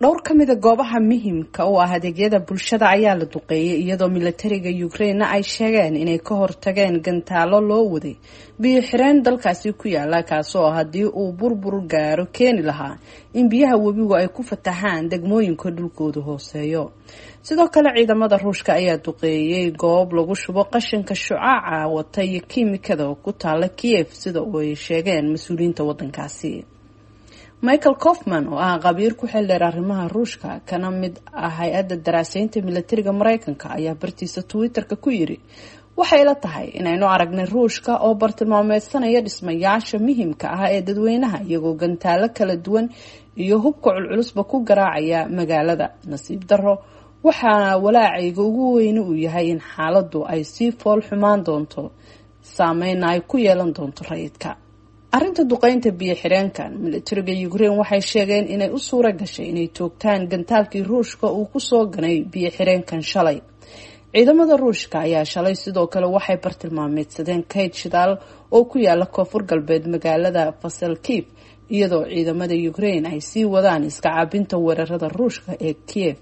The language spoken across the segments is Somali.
Dhowr ka mida goobaha muhiimka u ah adeegyada bulshada ayaa la duqeeyay, iyadoo milatariga Ukraine ay sheegeen inay ka hortageen gantaalo loo waday biyo xireen dalkaasi ku yaala, kaasoo haddii uu burbur gaaro keeni lahaa in biyaha webigu ay ku fataxaan degmooyinka dhulkoodu hooseeyo. Sidoo kale ciidamada Ruushka ayaa duqeeyay goob lagu shubo qashinka shucaaca wata iyo kiimikada oo ku taala Kiev, sida ay sheegeen mas-uuliyiinta wadankaasi. Michael Coffman oo ah qabiir ku xildheer arrimaha Ruushka kana mid ah hay-adda daraaseynta milatariga Mareykanka ayaa bartiisa Twitter-ka ku yiri: "Waxay la tahay inaynu aragnay Ruushka oo bartilmaameedsanaya dhismayaasha muhiimka ah ee dadweynaha, iyagoo gantaalo kala duwan iyo hubka culculusba ku garaacaya magaalada. Nasiib darro, waxaa walaacayga ugu weyne uu yahay in xaaladdu ay sii fool xumaan doonto, saameyna ay ku yeelan doonto rayidka." Arrinta duqeynta biyo xireenkan, milatariga Ukraine waxay sheegeen inay u suura gashay inay toogtaan gantaalkii Ruushka uu kusoo ganay biyo xireenkan shalay. Ciidamada Ruushka ayaa shalay sidoo kale waxay bartilmaameedsadeen kayd shidaal oo ku yaala koonfur galbeed magaalada Fasalkiv, iyadoo ciidamada Ukraine ay sii wadaan iska caabinta weerarada Ruushka ee Kiev.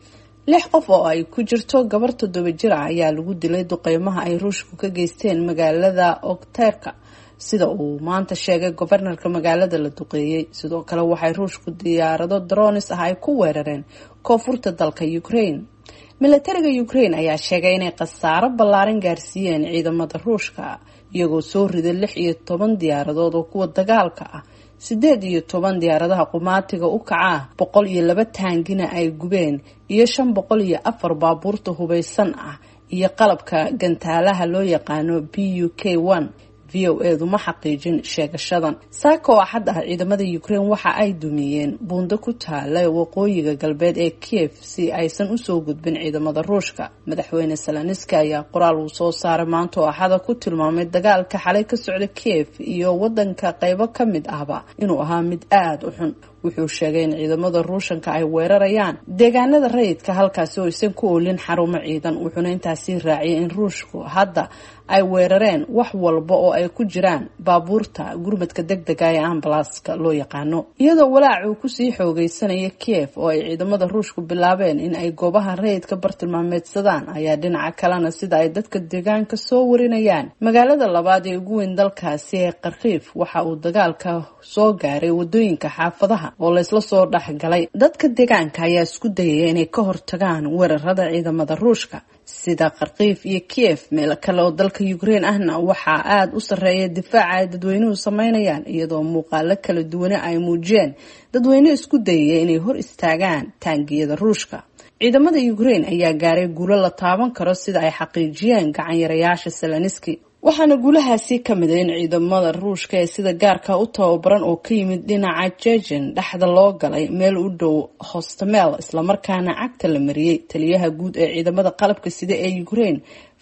6 qof oo ay ku jirto gabar 7 jir ah ayaa lagu dilay duqeymaha ay Ruushku ka geysteen magaalada Okterka, sida uu maanta sheegay gobarnarka magaalada la duqeeyey. Sidoo kale waxay Ruushku diyaarado dronis ah ay ku weerareen koonfurta dalka Ukraine. Milatariga Ukraine ayaa sheegay inay khasaaro ballaaran gaarsiiyeen ciidamada Ruushka, iyagoo soo riday 16 diyaaradood oo kuwa dagaalka ah, 18 diyaaradaha qumaatiga u kaca, 102 taangina ay gubeen iyo 504 baabuurta hubeysan ah iyo qalabka gantaalaha loo yaqaano BUK 1. V O edu ma xaqiijin sheegashadan. Saaka oo Axad ah, ciidamada Ukraine waxa ay dumiyeen buundo ku taala waqooyiga galbeed ee Kiev si aysan usoo gudbin ciidamada Ruushka. Madaxweyne Salanski ayaa qoraal uu soo saaray maanta oo Axada ku tilmaamay dagaalka xalay ka socda Kiev iyo wadanka qeybo ka mid ahba inuu ahaa mid aada u xun. Wuxuu sheegay in ciidamada Ruushanka ay weerarayaan deegaanada rayidka, halkaasi oo aysan ku oolin xarumo ciidan. Wuxuuna intaasi raaciyay in Ruushku hadda ay weerareen wax walba oo ay ku jiraan baabuurta gurmadka deg dega ee ambalaaska loo yaqaano, iyadoo walaac uu kusii xoogeysanaya Kiev oo ay ciidamada Ruushku bilaabeen in ay goobaha rayidka bartilmaameedsadaan. Ayaa dhinaca kalena, sida ay dadka deegaanka soo warinayaan, magaalada labaad ee ugu weyn dalkaasi ee Kharkiif waxa uu dagaalka soo gaaray wadooyinka xaafadaha oo laysla soo dhexgalay. Dadka deegaanka ayaa isku dayaya inay ka hortagaan weerarada ciidamada Ruushka. Sida Kharkiif iyo Kiev, meel kale oo dalka Ukraine ahna waxaa aada u sarreeya difaaca ay dadweynuhu sameynayaan, iyadoo muuqaalo kala duwane ay muujiyeen dadweyne isku dayaya inay hor istaagaan taangiyada Ruushka. Ciidamada Ukraine ayaa gaaray guulo la taaban karo, sida ay xaqiijiyeen gacanyarayaasha Selaniski, waxaana guulahaasi ka mid a in ciidamada Ruushka ee sida gaarka u tababaran oo ka yimid dhinaca Jejen dhexda loo galay meel u dhow Hostomel, islamarkaana cagta la mariyey. Taliyaha guud ee ciidamada qalabka sida ee Ukraine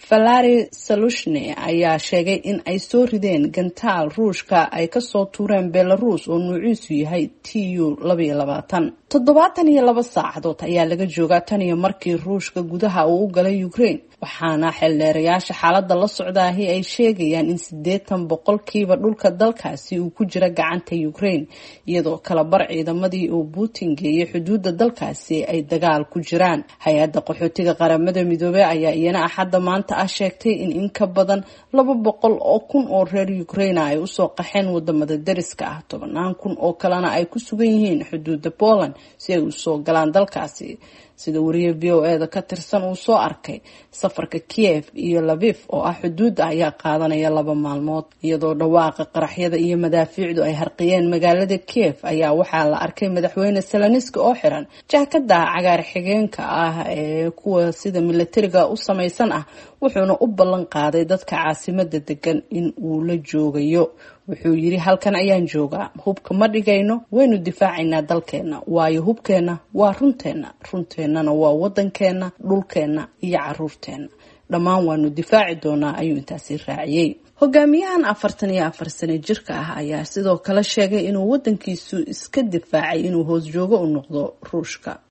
Valari Salushne ayaa sheegay in ay soo rideen gantaal Ruushka ay kasoo tuureen Belarus oo nuuciisu yahay TU 22. 72 saacadood ayaa laga joogaa tan iyo markii Ruushka gudaha uu u galay Ukraine, waxaana xeeldheerayaasha xaaladda la socdaahi ay sheegayaan in 80% dhulka dalkaasi uu ku jira gacanta Ukraine, iyadoo kala bar ciidamadii uu Putin geeyay xuduudda dalkaasi ay dagaal ku jiraan. Hay-adda qaxootiga Qaramada Midoobey ayaa iyana Axadda maanta ah sheegtay in ka badan 200,000 oo reer Ukraine ay usoo qaxeen wadamada dariska ah, tobanaan kun oo kalena ay ku sugan yihiin xuduudda Poland si ay usoo galaan dalkaasi. Sida wariye V O e da ka tirsan uu soo arkay, safarka Kiev iyo Lavif oo ah xuduudda ayaa qaadanaya 2 maalmood. Iyadoo dhawaaqa qaraxyada iyo madaafiicdu ay harqiyeen magaalada Kiev ayaa waxaa la arkay madaxweyne Selaniski oo xiran jaakada cagaar xigeenka ah ee kuwa sida milatariga u samaysan ah, wuxuuna u ballan qaaday dadka caasimada degan in uu la joogayo. Wuxuu yiri: "Halkan ayaan joogaa, hubka ma dhigayno, waynu difaacaynaa dalkeenna, waayo hubkeenna waa runteenna, runteennana waa waddankeenna, dhulkeenna iyo caruurteenna, dhammaan waanu difaaci doonaa," ayuu intaasi raaciyey. Hogaamiyahan 44 sano jirka ah ayaa sidoo kale sheegay inuu wadankiisu iska difaacay inuu hoos joogo u noqdo Ruushka.